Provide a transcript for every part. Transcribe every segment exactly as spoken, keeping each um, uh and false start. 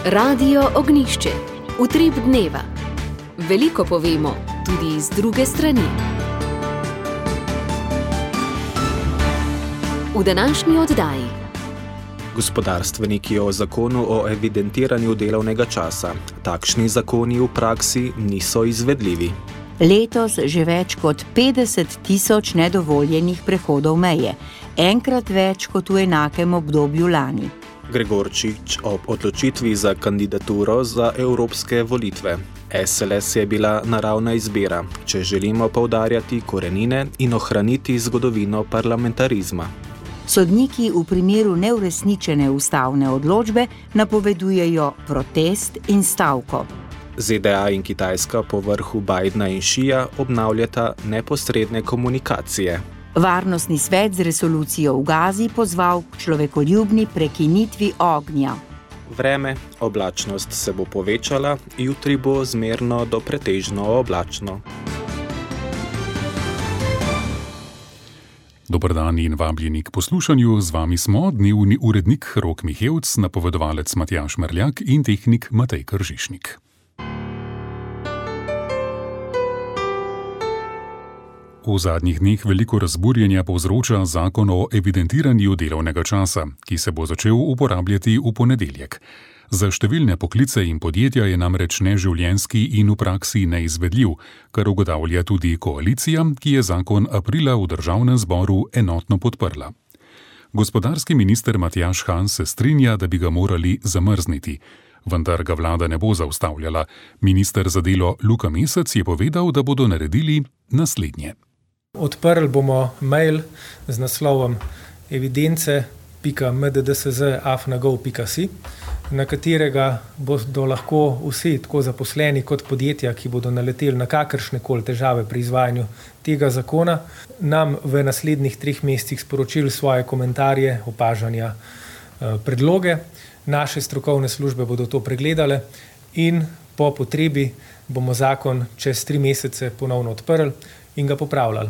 Radio Ognjišče. Utrip dneva. Veliko povemo, tudi z druge strani. V današnji oddaji. Gospodarstveniki o zakonu o evidentiranju delovnega časa. Takšni zakoni v praksi niso izvedljivi. Letos že več kot petdeset tisoč nedovoljenih prehodov meje, enkrat več kot v enakem obdobju lani. Gregorčič ob odločitvi za kandidaturo za evropske volitve. es el es je bila naravna izbira, če želimo poudarjati korenine in ohraniti zgodovino parlamentarizma. Sodniki v primeru neuresničene ustavne odločbe napovedujejo protest in stavko. Z de a in Kitajska po vrhu Bidena in Šija obnavljata neposredne komunikacije. Varnostni svet z resolucijo v Gazi pozval k človekoljubni prekinitvi ognja. Vreme, oblačnost se bo povečala, jutri bo zmerno do pretežno oblačno. Dober dan in vabljeni k poslušanju. Z vami smo dnevni urednik Rok Mihevc, napovedovalec Matjaž Merljak in tehnik Matej Kržišnik. V zadnjih dneh veliko razburjenja povzroča zakon o evidentiranju delovnega časa, ki se bo začel uporabljati v ponedeljek. Za številne poklice in podjetja je namreč neživljenjski in v praksi neizvedljiv, kar ugotavlja tudi koalicija, ki je zakon aprila v državnem zboru enotno podprla. Gospodarski minister Matjaž Han se strinja, da bi ga morali zamrzniti, vendar ga vlada ne bo zaustavljala. Minister za delo Luka Mesec je povedal, da bodo naredili naslednje. Odprli bomo mail z naslovom evidence pika m d d s z afna gov pika si, na katerega bodo lahko vsi, tako zaposleni kot podjetja, ki bodo naleteli na kakršne koli težave pri izvajanju tega zakona, nam v naslednjih treh mesecih sporočili svoje komentarje, opažanja, predloge. Naše strokovne službe bodo to pregledale in po potrebi bomo zakon čez tri mesece ponovno odprli in ga popravljali.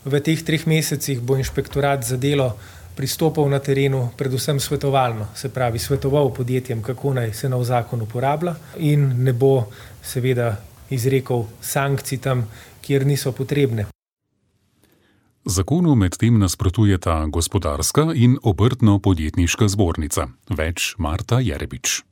V teh treh mesecih bo inšpektorat za delo pristopal na terenu predvsem svetovalno, se pravi svetoval podjetjem, kako naj se nov zakon uporablja in ne bo seveda izrekel sankcij tam, kjer niso potrebne. Zakonu medtem nasprotujeta Gospodarska in Obrtno-podjetniška zbornica. Več Marta Jerebič.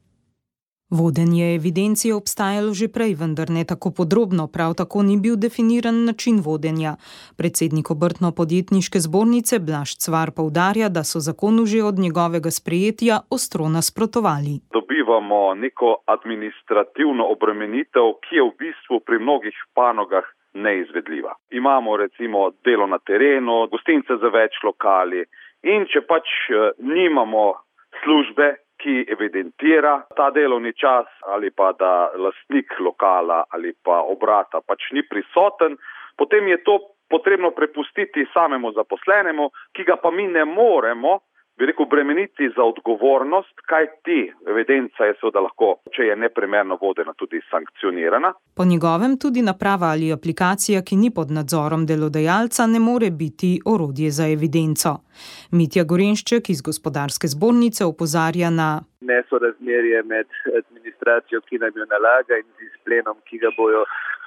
Vodenje evidenc je obstajalo že prej, vendar ne tako podrobno, prav tako ni bil definiran način vodenja. Predsednik Obrtno-podjetniške zbornice Blaž Cvar poudarja, da so zakonu že od njegovega sprejetja ostro nasprotovali. Dobivamo neko administrativno obremenitev, ki je v bistvu pri mnogih panogah neizvedljiva. Imamo recimo delo na terenu, gostince za več lokali in če pač nimamo službe, ki evidentira ta delovni čas ali pa da lastnik lokala ali pa obrata pač ni prisoten, potem je to potrebno prepustiti samemu zaposlenemu, ki ga pa mi ne moremo, bi rekel, bremeniti za odgovornost, kaj ti evidenca je seveda lahko, če je neprimerno vodena, tudi sankcionirana. Po njegovem tudi naprava ali aplikacija, ki ni pod nadzorom delodajalca, ne more biti orodje za evidenco. Mitja Gorenšček iz Gospodarske zbornice opozarja na nesorazmerje med administracijo, ki nam jo nalaga, in z izplenom, ki ga bojo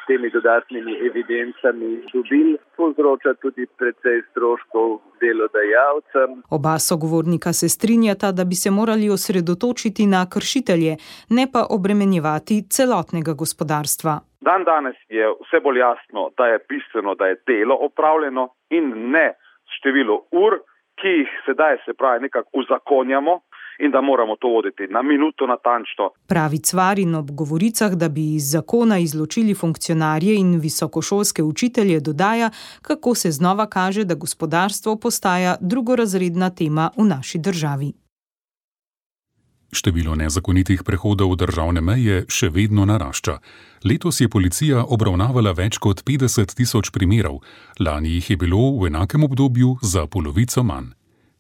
temi dodatnimi evidencami dobili, povzroča tudi precej stroškov delodajalcem. Oba sogovornika se strinjata, da bi se morali osredotočiti na kršitelje, ne pa obremenjevati celotnega gospodarstva. Dan danes je vse bolj jasno, da je bistveno, da je delo opravljeno in ne število ur, ki jih sedaj se pravi nekako uzakonjamo, in da moramo to voditi na minuto natančno. Pravi Cvar in ob govoricah, da bi iz zakona izločili funkcionarje in visokošolske učitelje, dodaja, kako se znova kaže, da gospodarstvo postaja drugorazredna tema v naši državi. Število nezakonitih prehodov državne meje še vedno narašča. Letos je policija obravnavala več kot petdeset tisoč primerov, lani jih je bilo v enakem obdobju za polovico manj.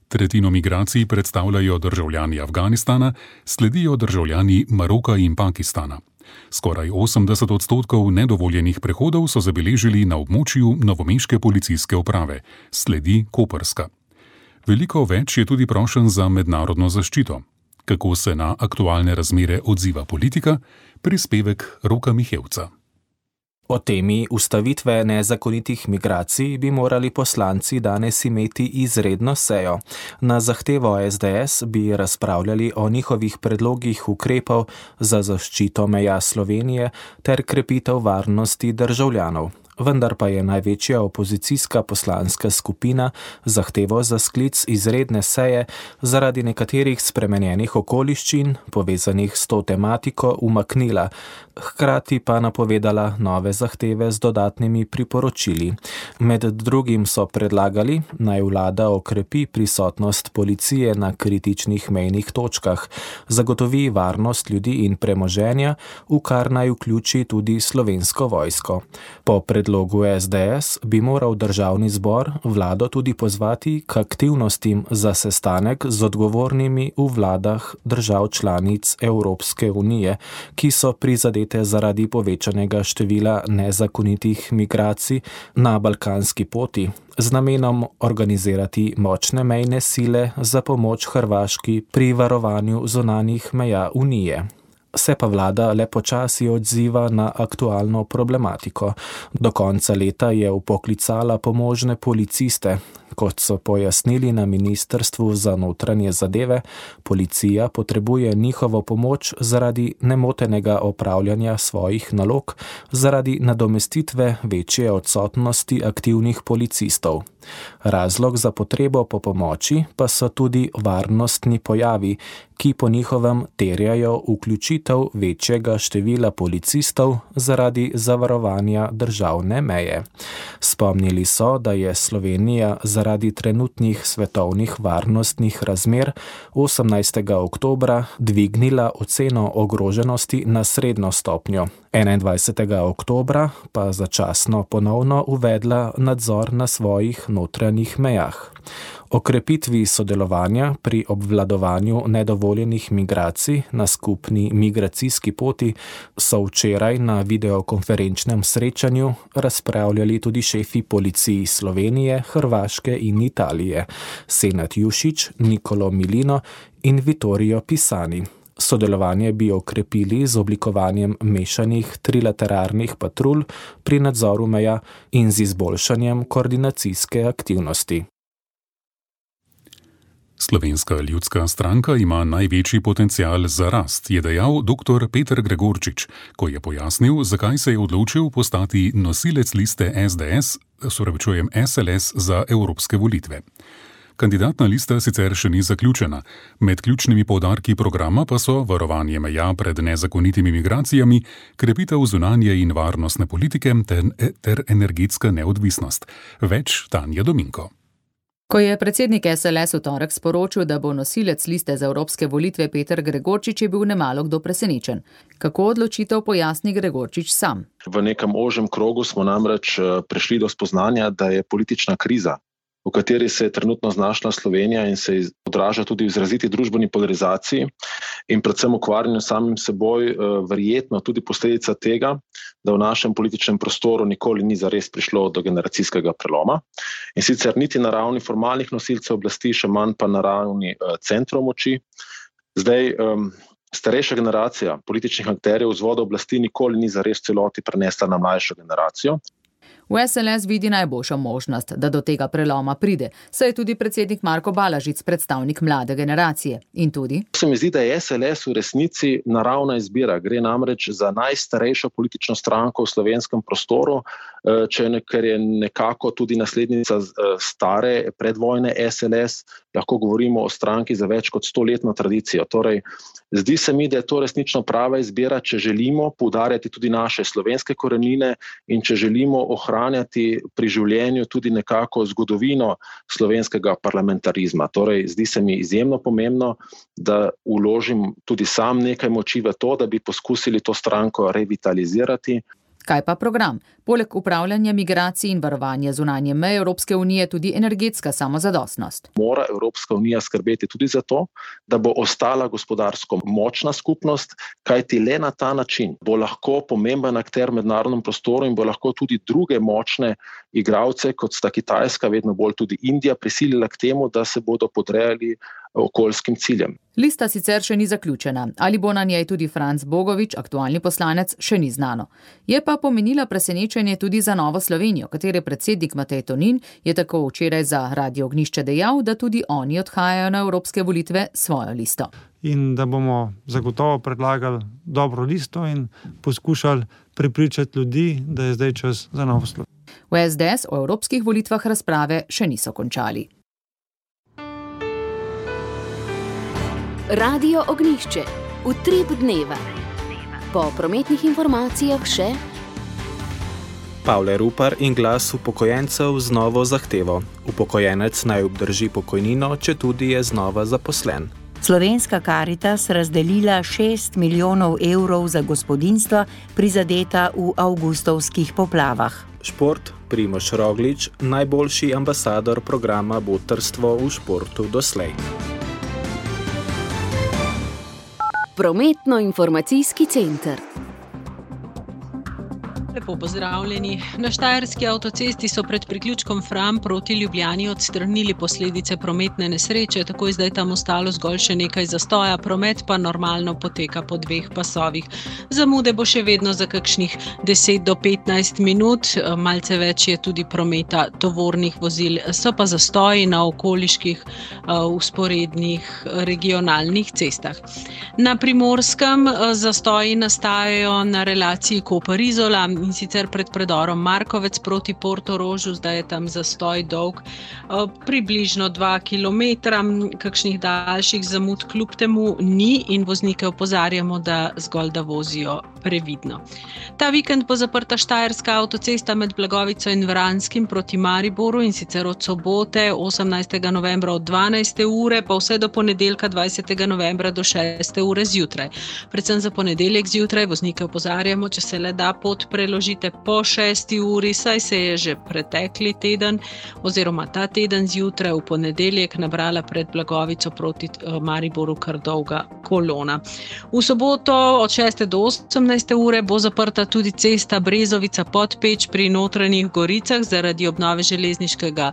Tretjino migracij predstavljajo državljani Afganistana, sledijo državljani Maroka in Pakistana. Skoraj osemdeset odstotkov nedovoljenih prehodov so zabeležili na območju novomeške policijske uprave, sledi koprska. Veliko več je tudi prošenj za mednarodno zaščito. Kako se na aktualne razmere odziva politika? Prispevek Roka Mihevca. O temi ustavitve nezakonitih migracij bi morali poslanci danes imeti izredno sejo. Na zahtevo es de es bi razpravljali o njihovih predlogih ukrepov za zaščito meja Slovenije ter krepitev varnosti državljanov. Vendar pa je največja opozicijska poslanska skupina zahtevo za sklic izredne seje zaradi nekaterih spremenjenih okoliščin, povezanih s to tematiko, umaknila, hkrati pa napovedala nove zahteve z dodatnimi priporočili. Med drugim so predlagali, naj vlada okrepi prisotnost policije na kritičnih mejnih točkah, zagotovi varnost ljudi in premoženja, v kar naj vključi tudi Slovensko vojsko. Po predlogu es de es bi moral državni zbor vlado tudi pozvati k aktivnostim za sestanek z odgovornimi v vladah držav članic Evropske unije, ki so prizadete zaradi povečanega števila nezakonitih migracij na balkanski poti, z namenom organizirati močne mejne sile za pomoč Hrvaški pri varovanju zunanjih meja Unije. Se pa vlada le počasi odziva na aktualno problematiko. Do konca leta je vpoklicala pomožne policiste. Kot so pojasnili na Ministrstvu za notranje zadeve, policija potrebuje njihovo pomoč zaradi nemotenega opravljanja svojih nalog, zaradi nadomestitve večje odsotnosti aktivnih policistov. Razlog za potrebo po pomoči pa so tudi varnostni pojavi, ki po njihovem terjajo vključitev večjega števila policistov zaradi zavarovanja državne meje. Spomnili so, da je Slovenija zaradi trenutnih svetovnih varnostnih razmer osemnajstega oktobra dvignila oceno ogroženosti na srednjo stopnjo, enaindvajsetega oktobra pa začasno ponovno uvedla nadzor na svojih notranjih mejah. Okrepitvi sodelovanja pri obvladovanju nedovoljenih migracij na skupni migracijski poti so včeraj na videokonferenčnem srečanju razpravljali tudi šefi policiji Slovenije, Hrvaške in Italije, Senad Jušić, Nicolo Milino in Vittorio Pisani. Sodelovanje bi okrepili z oblikovanjem mešanih trilateralnih patrulj pri nadzoru meja in z izboljšanjem koordinacijske aktivnosti. Slovenska ljudska stranka ima največji potencial za rast, je dejal doktor Peter Gregorčič, ko je pojasnil, zakaj se je odločil postati nosilec liste es de es, sopravičujem es el es za evropske volitve. Kandidatna lista sicer še ni zaključena. Med ključnimi poudarki programa pa so varovanje meja pred nezakonitimi migracijami, krepitev zunanje in varnostne politike ter, ter energetska neodvisnost. Več Tanja Dominko. Ko je predsednik es el es v torek sporočil, da bo nosilec liste za evropske volitve Peter Gregorčič, je bil nemalo kdo presenečen. Kako odločitev pojasni Gregorčič sam? V nekem ožjem krogu smo namreč prišli do spoznanja, da je politična kriza, v kateri se je trenutno znašla Slovenija in se odraža tudi v izraziti družbeni polarizaciji in predvsem ukvarjanju samim seboj, verjetno tudi posledica tega, da v našem političnem prostoru nikoli ni zares prišlo do generacijskega preloma. In sicer niti na ravni formalnih nosilcev oblasti, še manj pa na ravni centrov moči. Zdaj, starejša generacija političnih akterjev vzvoda oblasti nikoli ni zares celoti prenesla na mlajšo generacijo. V es el es vidi najboljšo možnost, da do tega preloma pride, saj je tudi predsednik Marko Balažic predstavnik mlade generacije. In tudi? Se mi zdi, da je es el es v resnici naravna izbira. Gre namreč za najstarejšo politično stranko v slovenskem prostoru, če ne, ker je nekako tudi naslednica stare predvojne es el es, lahko govorimo o stranki za več kot stoletno tradicijo. Torej, zdi se mi, da je to resnično prava izbira, če želimo poudarjati tudi naše slovenske korenine in če želimo ohranjati pri življenju tudi nekako zgodovino slovenskega parlamentarizma. Torej, zdi se mi izjemno pomembno, da vložim tudi sam nekaj moči v to, da bi poskusili to stranko revitalizirati. Kaj pa program? Poleg upravljanja migracij in varovanja zunanje meje Evropske unije tudi energetska samozadostnost. Mora Evropska unija skrbeti tudi za to, da bo ostala gospodarsko močna skupnost, kajti le na ta način bo lahko pomemben akter v mednarodnem prostoru in bo lahko tudi druge močne igralce, kot sta Kitajska, vedno bolj tudi Indija, prisilila k temu, da se bodo podrejali okoljskim ciljem. Lista sicer še ni zaključena. Ali bo na njej tudi Franc Bogovič, aktualni poslanec, še ni znano. Je pa pomenila presenečenje tudi za Novo Slovenijo, katere predsednik Matej Tonin je tako včeraj za Radio Ognjišče dejal, da tudi oni odhajajo na evropske volitve svojo listo. In da bomo zagotovo predlagali dobro listo in poskušali prepričati ljudi, da je zdaj čas za Novo Slovenijo. V es de es o evropskih volitvah razprave še niso končali. Radio Ognjišče, utrip dneva. Po prometnih informacijah še Pavle Rupar in glas upokojencev z novo zahtevo. Upokojenec naj obdrži pokojnino, če tudi je znova zaposlen. Slovenska Karitas razdelila šest milijonov evrov za gospodinjstva prizadeta v avgustovskih poplavah. Šport, Primož Roglič, najboljši ambasador programa Botrstvo v športu doslej. Prometno-informacijski center. Lepo pozdravljeni. Na štajerski avtocesti so pred priključkom Fram proti Ljubljani odstranili posledice prometne nesreče, tako je zdaj tam ostalo zgolj še nekaj zastoja, promet pa normalno poteka po dveh pasovih. Zamude bo še vedno za kakšnih deset do petnajst minut, malce več je tudi prometa tovornih vozil, so pa zastoji na okoliških vzporednih regionalnih cestah. Na Primorskem zastoji nastajajo na relaciji Koper-Izola, in sicer pred predorom Markovec proti Portorožu, zdaj je tam zastoj dolg približno dva kilometra, kakšnih daljših zamud kljub temu ni in voznike opozarjamo, da zgolj da vozijo previdno. Ta vikend bo zaprta štajerska avtocesta med Blagovico in Vranskim proti Mariboru in sicer od sobote osemnajstega novembra od dvanajste ure pa vse do ponedeljka dvajsetega novembra do šeste ure zjutraj. Predvsem za ponedeljek zjutraj voznike opozarjamo, če se le da pot preložite po šesti uri, saj se je že pretekli teden oziroma ta teden zjutraj v ponedeljek nabrala pred Blagovico proti Mariboru kar dolga kolona. V soboto od šeste do osemnajste ure bo zaprta tudi cesta Brezovica-Podpeč pri Notranjih Goricah zaradi obnove železniškega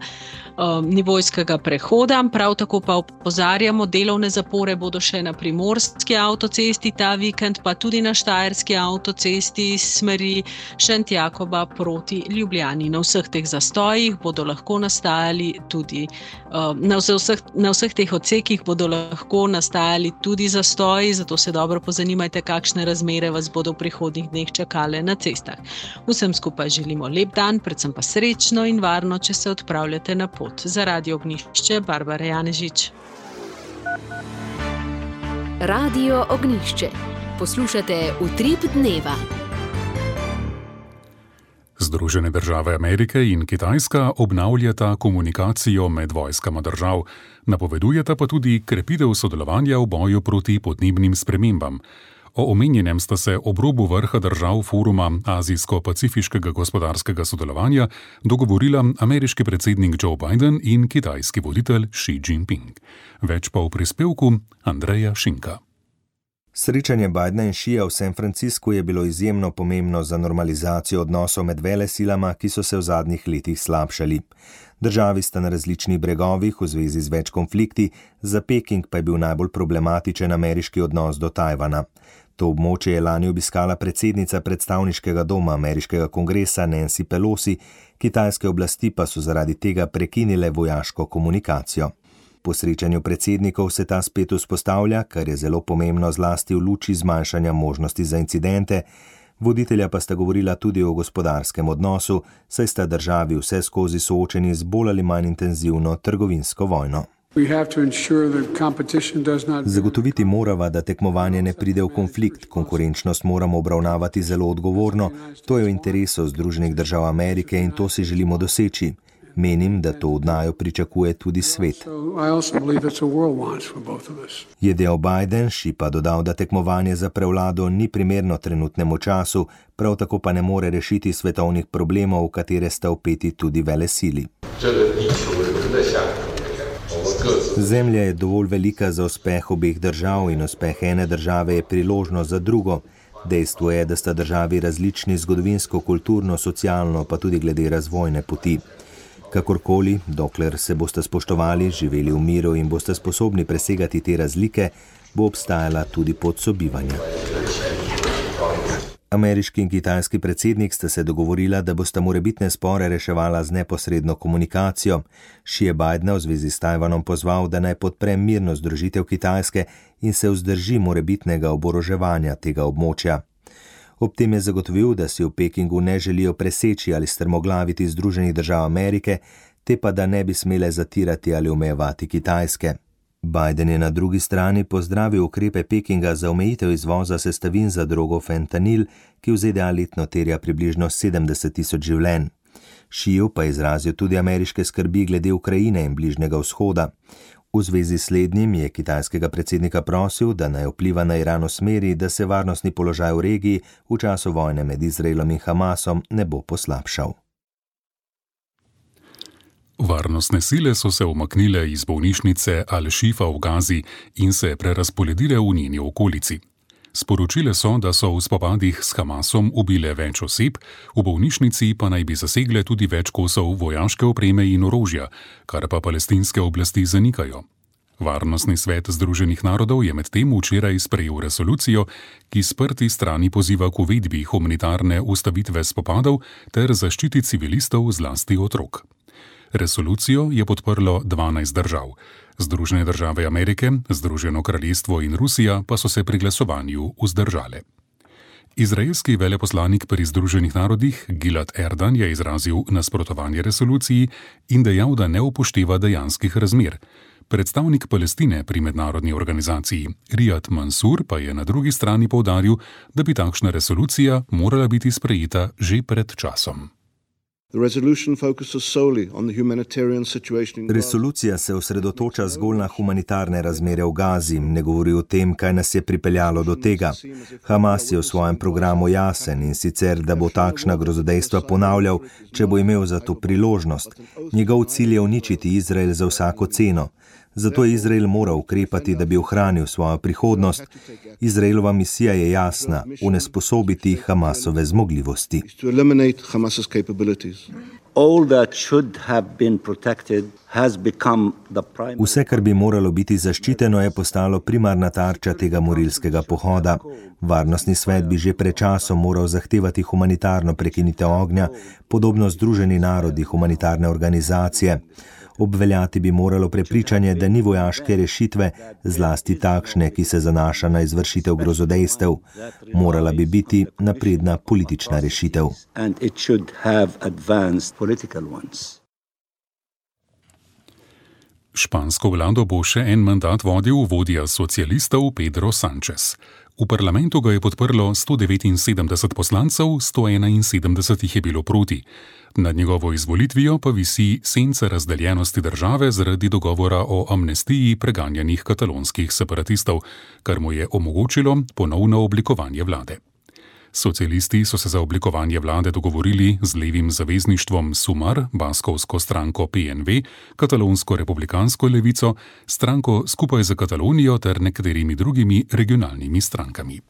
um, nivojskega prehoda. Prav tako pa opozarjamo, delovne zapore bodo še na Primorski avtocesti ta vikend, pa tudi na štajerski avtocesti smeri Šentjakoba proti Ljubljani. Na vseh teh zastojih bodo lahko nastajali tudi, um, na, vseh, na vseh teh odsekih bodo lahko nastajali tudi zastoji, zato se dobro pozanimajte, kakšne razmere vas bodo v prihodnjih dneh čakale na cestah. Vsem skupaj želimo lep dan, predvsem pa srečno in varno, če se odpravljate na pot. Za Radio Ognjišče, Barbara Janežič. Radio Ognjišče. Poslušate Utrip dneva. Združene države Amerike in Kitajska obnavljata komunikacijo med vojskama držav, napovedujeta pa tudi krepitev sodelovanja v boju proti podnebnim spremembam. O omenjenem sta se ob robu vrha držav foruma Azijsko-pacifiškega gospodarskega sodelovanja dogovorila ameriški predsednik Joe Biden in kitajski voditelj Xi Jinping. Več pa v prispevku Andreja Šinka. Srečanje Bidena in Xija v San Franciscu je bilo izjemno pomembno za normalizacijo odnosov med velesilama, ki so se v zadnjih letih slabšali. Državi sta na različnih bregovih v zvezi z več konflikti, za Peking pa je bil najbolj problematičen ameriški odnos do Tajvana. To območje je lani obiskala predsednica predstavniškega doma ameriškega kongresa Nancy Pelosi, kitajske oblasti pa so zaradi tega prekinile vojaško komunikacijo. Po srečanju predsednikov se ta spet vzpostavlja, kar je zelo pomembno zlasti v luči zmanjšanja možnosti za incidente. Voditelja pa sta govorila tudi o gospodarskem odnosu, saj sta državi vse skozi soočeni z bolj ali manj intenzivno trgovinsko vojno. Zagotoviti morava, da tekmovanje ne pride v konflikt, konkurenčnost moramo obravnavati zelo odgovorno, to je v interesu Združenih držav Amerike in to si želimo doseči. Menim, da to od naju pričakuje tudi svet. Je dejal Biden, Xi pa dodal, da tekmovanje za prevlado ni primerno trenutnemu času, prav tako pa ne more rešiti svetovnih problemov, v katere sta vpeti tudi velesili. Zemlja je dovolj velika za uspeh obeh držav in uspeh ene države je priložnost za drugo. Dejstvo je, da sta državi različni zgodovinsko, kulturno, socialno, pa tudi glede razvojne poti. Kakorkoli, dokler se boste spoštovali, živeli v miru in boste sposobni presegati te razlike, bo obstajala tudi pot sobivanja. Ameriški in kitajski predsednik sta se dogovorila, da bosta morebitne spore reševala z neposredno komunikacijo. Xi je Bidena v zvezi s Tajvanom pozval, da naj podpre mirno združitev Kitajske in se vzdrži morebitnega oboroževanja tega območja. Ob tem je zagotovil, da si v Pekingu ne želijo preseči ali strmoglaviti Združenih držav Amerike, te pa da ne bi smele zatirati ali omejevati Kitajske. Biden je na drugi strani pozdravil ukrepe Pekinga za omejitev izvoza sestavin za drogo fentanil, ki v Z D A letno terja približno sedemdeset tisoč življenj. Xiju pa je izrazil tudi ameriške skrbi glede Ukrajine in Bližnjega vzhoda. V zvezi s slednjim je kitajskega predsednika prosil, da naj vpliva na Iran v smeri, da se varnostni položaj v regiji v času vojne med Izraelom in Hamasom ne bo poslabšal. Varnostne sile so se umaknile iz bolnišnice Al-Shifa v Gazi in se prerazporedile v njeni okolici. Sporočile so, da so v spopadih s Hamasom ubile več oseb, v bolnišnici pa naj bi zasegle tudi več kosov vojaške opreme in orožja, kar pa palestinske oblasti zanikajo. Varnostni svet Združenih narodov je medtem včeraj sprejel resolucijo, ki sprti strani poziva k uvedbi humanitarne ustavitve spopadov ter zaščiti civilistov, zlasti otrok. Resolucijo je podprlo dvanajst držav. Združene države Amerike, Združeno kraljestvo in Rusija pa so se pri glasovanju vzdržale. Izraelski veleposlanik pri Združenih narodih Gilad Erdan je izrazil nasprotovanje resoluciji in dejal, da ne upošteva dejanskih razmer. Predstavnik Palestine pri mednarodni organizaciji Riyad Mansour pa je na drugi strani poudaril, da bi takšna resolucija morala biti sprejeta že pred časom. Resolucija se osredotoča zgolj na humanitarne razmere v Gazi, ne govori o tem, kaj nas je pripeljalo do tega. Hamas je v svojem programu jasen in sicer, da bo takšna grozodejstva ponavljal, če bo imel za to priložnost. Njegov cilj je uničiti Izrael za vsako ceno. Zato je Izrael moral ukrepati, da bi ohranil svojo prihodnost. Izraelova misija je jasna, onesposobiti Hamasove zmogljivosti. Vse, kar bi moralo biti zaščiteno, je postalo primarna tarča tega morilskega pohoda. Varnostni svet bi že pred časom moral zahtevati humanitarno prekinitev ognja, podobno Združeni narodi humanitarne organizacije. Obveljati bi moralo prepričanje, da ni vojaške rešitve, zlasti takšne, ki se zanaša na izvršitev grozodejstev. Morala bi biti napredna politična rešitev. Špansko vlado bo še en mandat vodil vodja socialistov Pedro Sánchez. V parlamentu ga je podprlo sto devetinsedemdeset poslancev, sto enainsedemdeset jih je bilo proti. Nad njegovo izvolitvijo pa visi senca razdeljenosti države zaradi dogovora o amnestiji preganjanih katalonskih separatistov, kar mu je omogočilo ponovno oblikovanje vlade. Socialisti so se za oblikovanje vlade dogovorili z levim zavezništvom Sumar, baskovsko stranko P N V, katalonsko republikansko levico, stranko Skupaj za Katalonijo ter nekaterimi drugimi regionalnimi strankami.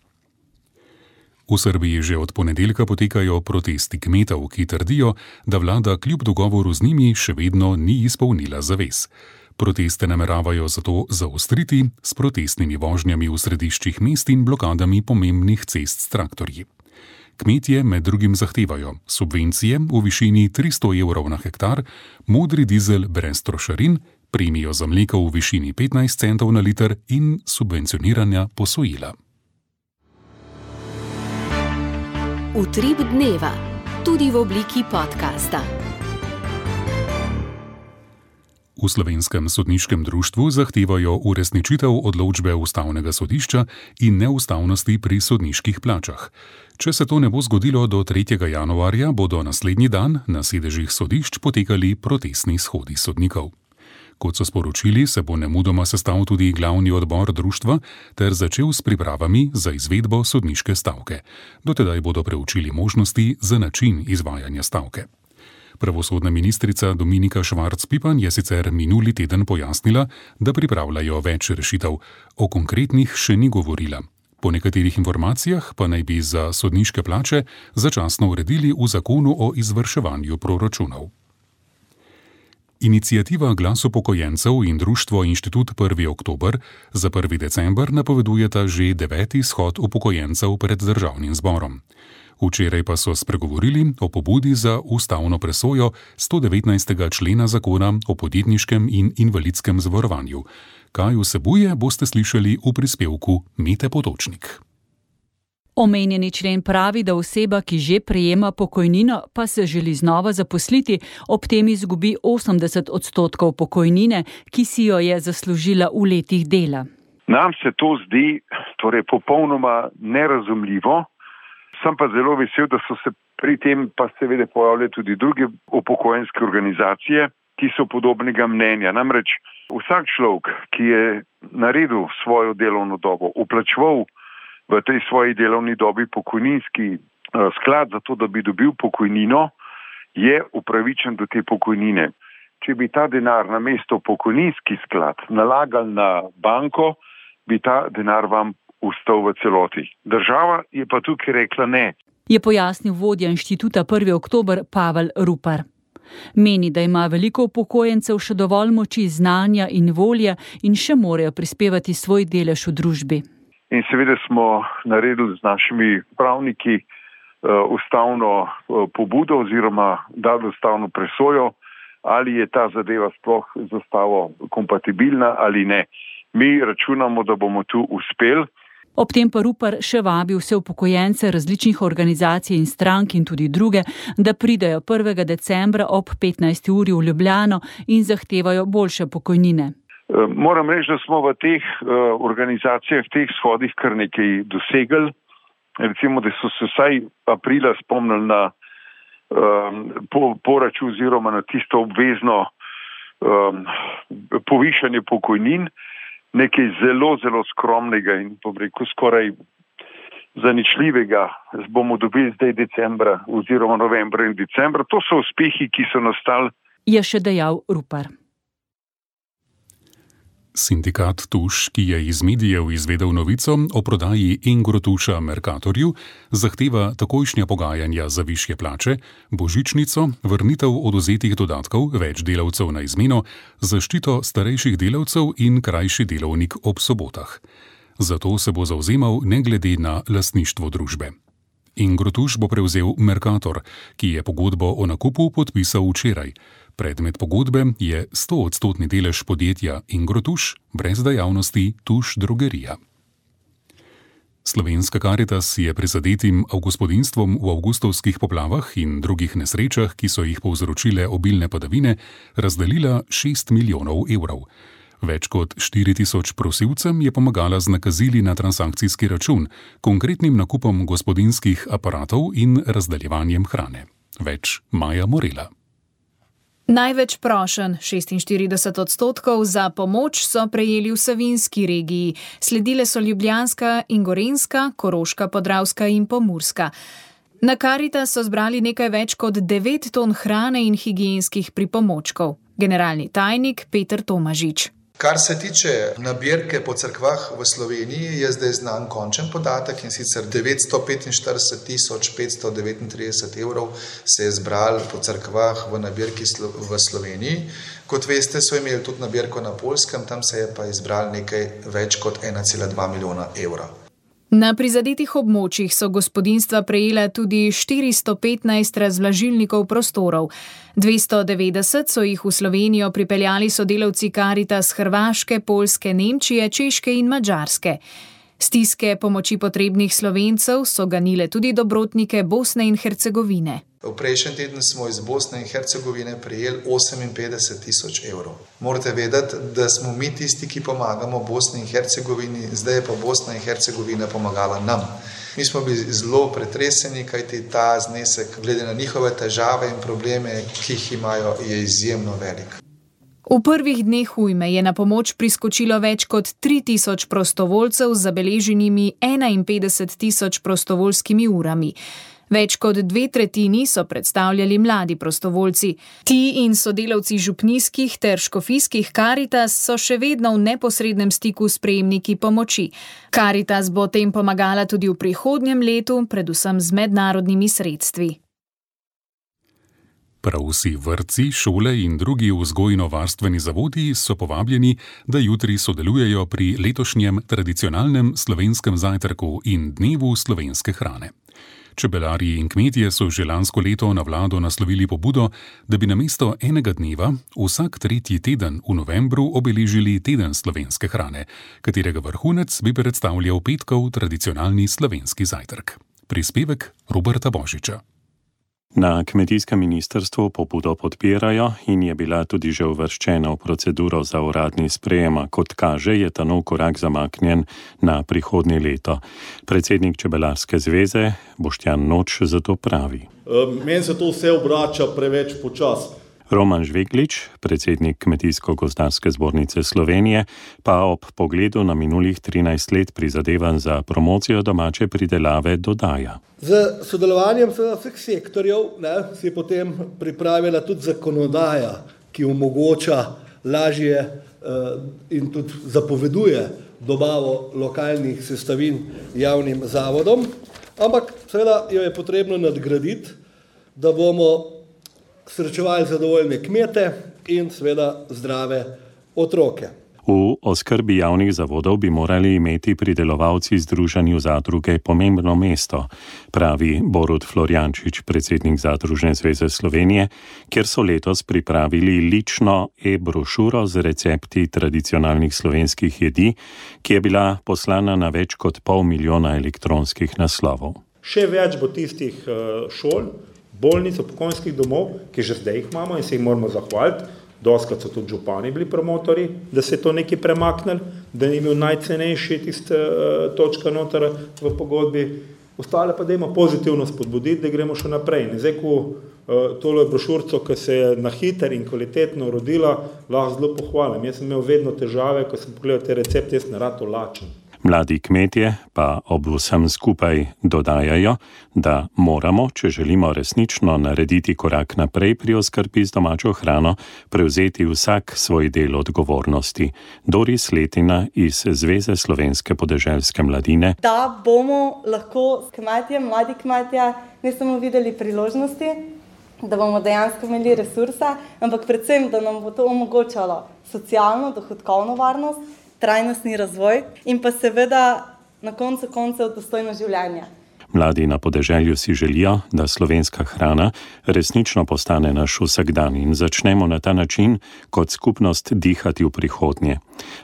V Srbiji že od ponedeljka potekajo protesti kmetov, ki trdijo, da vlada kljub dogovoru z njimi še vedno ni izpolnila zavez. Proteste nameravajo zato zaostriti s protestnimi vožnjami v središčih mest in blokadami pomembnih cest s traktorji. Kmetje med drugim zahtevajo subvencije v višini tristo evrov na hektar, modri dizel brez trošarin, premijo za mleko v višini petnajst centov na liter in subvencioniranja posojila. Utrip dneva, tudi v obliki podcasta. V Slovenskem sodniškem društvu zahtevajo uresničitev odločbe Ustavnega sodišča in neustavnosti pri sodniških plačah. Če se to ne bo zgodilo do tretjega januarja, bodo naslednji dan na sedežih sodišč potekali protestni shodi sodnikov. Kot so sporočili, se bo nemudoma sestal tudi glavni odbor društva ter začel s pripravami za izvedbo sodniške stavke. Dotedaj bodo preučili možnosti za način izvajanja stavke. Pravosodna ministrica Dominika Švarc-Pipan je sicer minuli teden pojasnila, da pripravljajo več rešitev, o konkretnih še ni govorila. Po nekaterih informacijah pa naj bi za sodniške plače začasno uredili v zakonu o izvrševanju proračunov. Iniciativa Glas upokojencev in društvo Inštitut prvi oktober za prvi december napovedujeta že deveti shod upokojencev pred državnim zborom. Včeraj pa so spregovorili o pobudi za ustavno presojo sto devetnajstega člena zakona o podjetniškem in invalidskem zavarovanju. Kaj vsebuje, boste slišali v prispevku Mete Potočnik. Omenjeni člen pravi, da oseba, ki že prejema pokojnino, pa se želi znova zaposliti, ob tem izgubi osemdeset odstotkov pokojnine, ki si jo je zaslužila v letih dela. Nam se to zdi torej popolnoma nerazumljivo. Sem pa zelo vesel, da so se pri tem pa seveda pojavile tudi druge upokojenske organizacije, ki so podobnega mnenja. Namreč vsak človek, ki je naredil svojo delovno dobo, uplačeval v tej svoji delovni dobi pokojninski uh, sklad za to, da bi dobil pokojnino, je upravičen do te pokojnine. Če bi ta denar namesto pokojninski sklad nalagali na banko, bi ta denar vam ustal v celoti. Država je pa tukaj rekla ne. Je pojasnil vodja Inštituta prvi oktober Pavel Rupar. Meni, da ima veliko upokojencev še dovolj moči, znanja in volje in še morajo prispevati svoj delež v družbi. In seveda smo naredili z našimi pravniki uh, ustavno uh, pobudo oziroma dali ustavno presojo, ali je ta zadeva sploh z ustavo kompatibilna ali ne. Mi računamo, da bomo tu uspeli. Ob tem pa Rupar še vabi vse upokojence različnih organizacij in strank in tudi druge, da pridejo prvega decembra ob petnajsti uri v Ljubljano in zahtevajo boljše pokojnine. Moram reči, da smo v teh organizacijah, v teh shodih kar nekaj dosegli. Recimo, da so se vsaj aprila spomnili na um, po, poračun oziroma na tisto obvezno um, povišanje pokojnin. Nekaj zelo, zelo skromnega in bom rekel skoraj zaničljivega bomo dobili zdaj decembra oziroma novembra in decembra. To so uspehi, ki so nastali. Je še dejal Rupar. Sindikat Tuš, ki je iz medijev izvedel novico o prodaji Engrotuša Mercatorju, zahteva takojšnja pogajanja za višje plače, božičnico, vrnitev odvzetih dodatkov, več delavcev na izmeno, zaščito starejših delavcev in krajši delovnik ob sobotah. Zato se bo zavzemal ne glede na lastništvo družbe. Engrotuš bo prevzel Mercator, ki je pogodbo o nakupu podpisal včeraj. Predmet pogodbe je stoodstotni delež podjetja Engrotuš, brez dejavnosti Tuš drogerija. Slovenska Karitas je prizadetim gospodinjstvom v avgustovskih poplavah in drugih nesrečah, ki so jih povzročile obilne padavine, razdelila šest milijonov evrov. Več kot štiri tisoč prosilcem je pomagala z nakazili na transakcijski račun, konkretnim nakupom gospodinjskih aparatov in razdeljevanjem hrane. Več Maja Morela. Največ prošenj, šestinštirideset odstotkov, za pomoč so prejeli v Savinjski regiji. Sledile so Ljubljanska in Gorenjska, Koroška, Podravska in Pomurska. Na Karitas so zbrali nekaj več kot devet ton hrane in higienskih pripomočkov. Generalni tajnik Peter Tomažič. Kar se tiče nabirke po cerkvah v Sloveniji, je zdaj znan končen podatek in sicer devetsto petinštirideset tisoč petsto devetintrideset evrov se je zbral po cerkvah v nabirki v Sloveniji. Kot veste, so imeli tudi nabirko na Poljskem, tam se je pa izbral nekaj več kot ena cela dva milijona evra. Na prizadetih območjih so gospodinjstva prejela tudi štiristo petnajst razvlažilnikov prostorov. dvesto devetdeset so jih v Slovenijo pripeljali sodelavci Karitas Hrvaške, Poljske, Nemčije, Češke in Madžarske. Stiske pomoči potrebnih Slovencev so ganile tudi dobrotnike Bosne in Hercegovine. V prejšnjem tednu smo iz Bosne in Hercegovine prejeli oseminpetdeset tisoč evrov. Morate vedeti, da smo mi tisti, ki pomagamo Bosni in Hercegovini, zdaj je pa Bosna in Hercegovina pomagala nam. Mi smo bili zelo pretreseni, kajti ta znesek, glede na njihove težave in probleme, ki jih imajo, je izjemno velik. V prvih dneh ujme je na pomoč priskočilo več kot tri tisoč prostovoljcev z zabeleženimi enainpetdeset tisoč prostovoljskimi urami. Več kot dve tretjini so predstavljali mladi prostovoljci. Ti in sodelavci župnijskih ter škofijskih Karitas so še vedno v neposrednem stiku s prejemniki pomoči. Karitas bo tem pomagala tudi v prihodnjem letu, predvsem z mednarodnimi sredstvi. Prav vsi vrtci, šole in drugi vzgojno-varstveni zavodi so povabljeni, da jutri sodelujejo pri letošnjem tradicionalnem slovenskem zajtrku in dnevu slovenske hrane. Čebelarji in kmetje so že lansko leto na vlado naslovili pobudo, da bi namesto enega dneva vsak tretji teden v novembru obeležili teden slovenske hrane, katerega vrhunec bi predstavljal petkov tradicionalni slovenski zajtrk. Prispevek Roberta Božiča. Na kmetijskem ministrstvu pobudo podpirajo in je bila tudi že uvrščena v proceduro za uradni sprejem. Kot kaže, je ta nov korak zamaknjen na prihodnje leto. Predsednik Čebelarske zveze Boštjan Noč zato pravi. Meni se to vse obrača preveč počasi. Roman Žveglič, predsednik Kmetijsko-gozdarske zbornice Slovenije, pa ob pogledu na minulih trinajst let prizadevanj za promocijo domače pridelave dodaja. Z sodelovanjem vseh sektorjev ne, se je potem pripravila tudi zakonodaja, ki omogoča lažje eh, in tudi zapoveduje dobavo lokalnih sestavin javnim zavodom, ampak seveda jo je potrebno nadgraditi, da bomo srečevali zadovoljne kmete in seveda zdrave otroke. V oskrbi javnih zavodov bi morali imeti pridelovalci združenju zadruge pomembno mesto, pravi Borut Florjančič, predsednik Zadružne zveze Slovenije, kjer so letos pripravili lično e-brošuro z recepti tradicionalnih slovenskih jedi, ki je bila poslana na več kot pol milijona elektronskih naslovov. Še več bo tistih šol, bolnic, upokojenskih domov, ki že zdaj jih imamo in se jih moramo zahvaliti. Doskrat so tudi župani bili promotori, da se je to nekaj premaknili, da ni imel najcenejši tiste uh, točka noter v pogodbi. Ostale pa dajmo pozitivno spodbuditi, da gremo še naprej. In zdaj, ko uh, tole brošurco, ki se je na hiter in kvalitetno rodila, lahko zelo pohvalim. Jaz sem imel vedno težave, ko sem pogledal te recepte, jaz sem rad lačen. Mladi kmetje pa ob vsem skupaj dodajajo, da moramo, če želimo resnično narediti korak naprej pri oskrbi z domačo hrano, prevzeti vsak svoj del odgovornosti. Doris Letina iz Zveze slovenske podeželske mladine. Da bomo lahko kmetje, mladi kmetje, ne samo videli priložnosti, da bomo dejansko imeli resursa, ampak predvsem, da nam bo to omogočalo socialno, dohodkovno varnost, trajnostni razvoj in pa seveda na koncu koncev dostojno življenje. Mladi na podeželju si želijo, da slovenska hrana resnično postane naš vsakdan in začnemo na ta način kot skupnost dihati v prihodnje.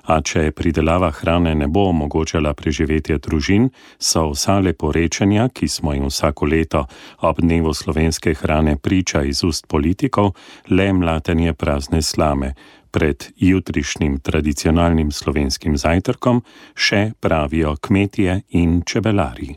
A če pridelava hrane ne bo omogočala preživetje družin, so vsa leporečenja, ki smo jim vsako leto ob dnevu slovenske hrane priča iz ust politikov, le mlatenje prazne slame. Pred jutrišnjim tradicionalnim slovenskim zajtrkom še pravijo kmetje in čebelarji.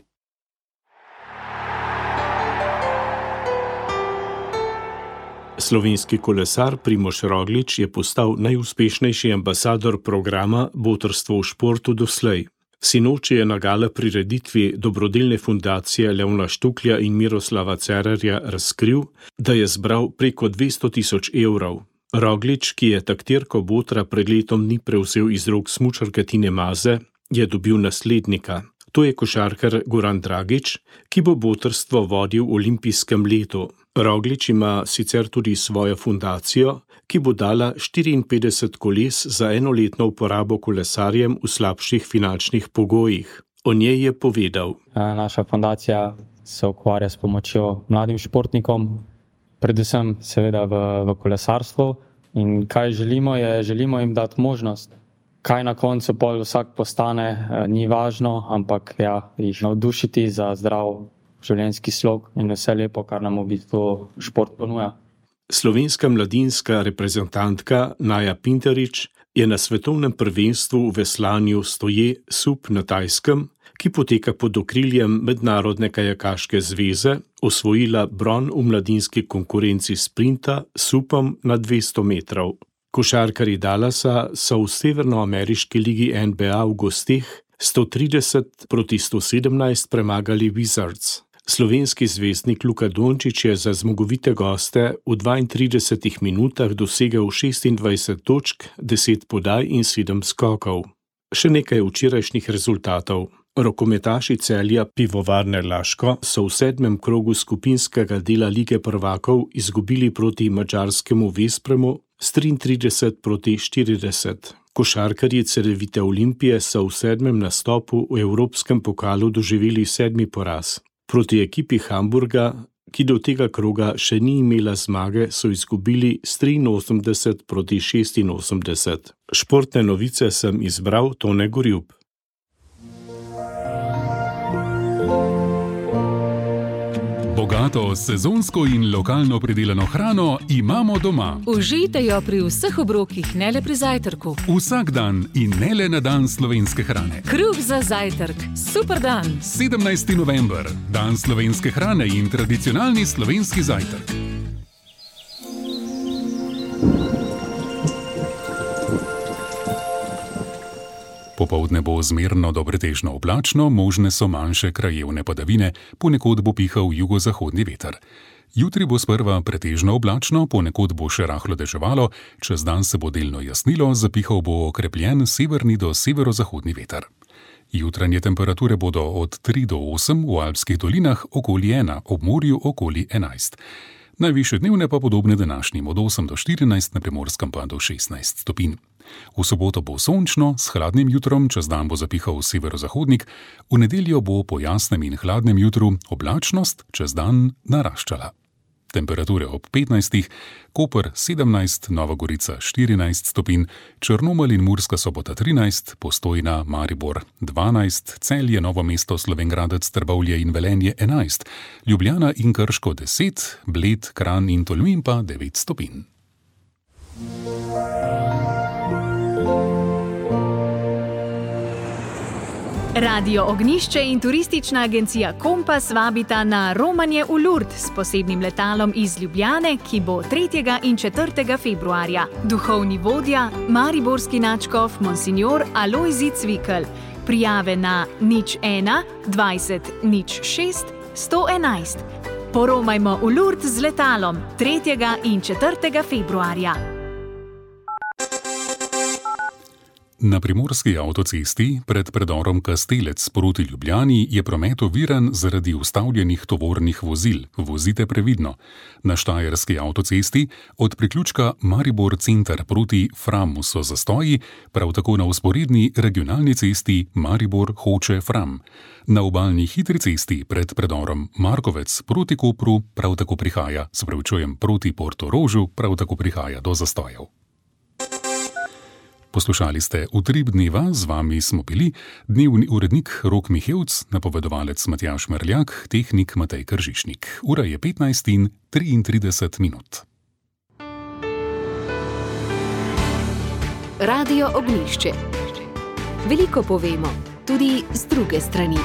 Slovenski kolesar Primož Roglič je postal najuspešnejši ambasador programa Botrstvo v športu doslej. Sinoči je na gala prireditvi dobrodelne fundacije Leona Štuklja in Miroslava Cerarja razkril, da je zbral preko dvesto tisoč evrov. Roglič, ki je taktirko Botra pred letom dni prevzel iz rok smučarke Tine Maze, je dobil naslednika. To je košarkar Goran Dragič, ki bo botrstvo vodil v olimpijskem letu. Roglič ima sicer tudi svojo fundacijo, ki bo dala štiriinpetdeset koles za enoletno uporabo kolesarjem v slabših finančnih pogojih. O njej je povedal. Naša fundacija se ukvarja s pomočjo mladim športnikom, predvsem seveda v, v kolesarstvu. In kaj želimo je, želimo jim dati možnost. Kaj na koncu pol vsak postane, ni važno, ampak ja, jih navdušiti za zdrav življenjski slog in vse lepo, kar nam v bistvu šport ponuja. Slovenska mladinska reprezentantka Naja Pinterič je na svetovnem prvenstvu v veslanju stoje sup na Tajskem, ki poteka pod okriljem Mednarodne kajakaške zveze, osvojila bron v mladinski konkurenci sprinta s supom na dvesto metrov. Košarkarji Dallasa so v severnoameriški ligi N B A v gosteh sto trideset proti sto sedemnajst premagali Wizards. Slovenski zvezdnik Luka Dončić je za zmagovite goste v dvaintridesetih minutah dosegel šestindvajset točk, deset podaj in sedem skokov. Še nekaj včerajšnjih rezultatov. Rokometaši Celja Pivovarne Laško so v sedmem krogu skupinskega dela Lige prvakov izgubili proti madžarskemu Vespremu s triintrideset proti štirideset. Košarkarji Cedevite Olimpije so v sedmem nastopu v Evropskem pokalu doživeli sedmi poraz. Proti ekipi Hamburga, ki do tega kroga še ni imela zmage, so izgubili s triinosemdeset proti šestinosemdeset. Športne novice sem izbral Tone Gorjub. Bogato, sezonsko in lokalno pridelano hrano imamo doma. Užijte jo pri vseh obrokih, ne le pri zajtrku. Vsak dan in ne le na dan slovenske hrane. Kruh za zajtrk. Super dan. sedemnajsti november. Dan slovenske hrane in tradicionalni slovenski zajtrk. Popoldne bo zmerno do pretežno oblačno, možne so manjše krajevne padavine, ponekod bo pihal jugozahodni veter. Jutri bo sprva pretežno oblačno, ponekod bo še rahlo deževalo, čez dan se bo delno jasnilo, zapihal bo okrepljen severni do severozahodni veter. Jutranje temperature bodo od tri do osem, v alpskih dolinah okoli ena, ob morju okoli enajst. Najvišje dnevne pa podobne današnjim, od osem do štirinajst, na Primorskem pa do šestnajst stopinj. V soboto bo sončno, s hladnim jutrom, čez dan bo zapihal severozahodnik, v nedeljo bo po jasnem in hladnem jutru oblačnost čez dan naraščala. Temperature ob petnajstih, Koper sedemnajst, Nova Gorica štirinajst stopinj, Črnomelj in Murska Sobota trinajst, Postojna, Maribor dvanajst, Celje, Novo mesto, Slovenj Gradec, Trbovlje in Velenje enajst, Ljubljana in Krško deset, Bled, Kranj in Tolmin pa devet stopinj. Radio Ognjišče in turistična agencija Kompas vabita na romanje v Lourdes s posebnim letalom iz Ljubljane, ki bo tretjega in četrtega februarja. Duhovni vodja, mariborski nadškof Monsignor Alojzij Cvikl. Prijave na nič ena dvajset nič šest sto enajst. Poromajmo v Lourdes z letalom tretjega in četrtega februarja. Na primorski avtocesti pred predorom Kastelec proti Ljubljani je promet oviran zaradi ustavljenih tovornih vozil. Vozite previdno. Na štajerski avtocesti od priključka Maribor center proti Framu so zastoji, prav tako na vzporedni regionalni cesti Maribor Hoče Fram. Na obalni hitri cesti pred predorom Markovec proti Kopru prav tako prihaja, spravičujem, proti Portorožu prav tako prihaja do zastojev. Poslušali ste Utrip dneva, z vami smo bili dnevni urednik Rok Mihevc, napovedovalec Matjaž Merljak, tehnik Matej Kržišnik. Ura je petnajst in triintrideset minut. Radio Ognjišče. Veliko povemo, tudi z druge strani.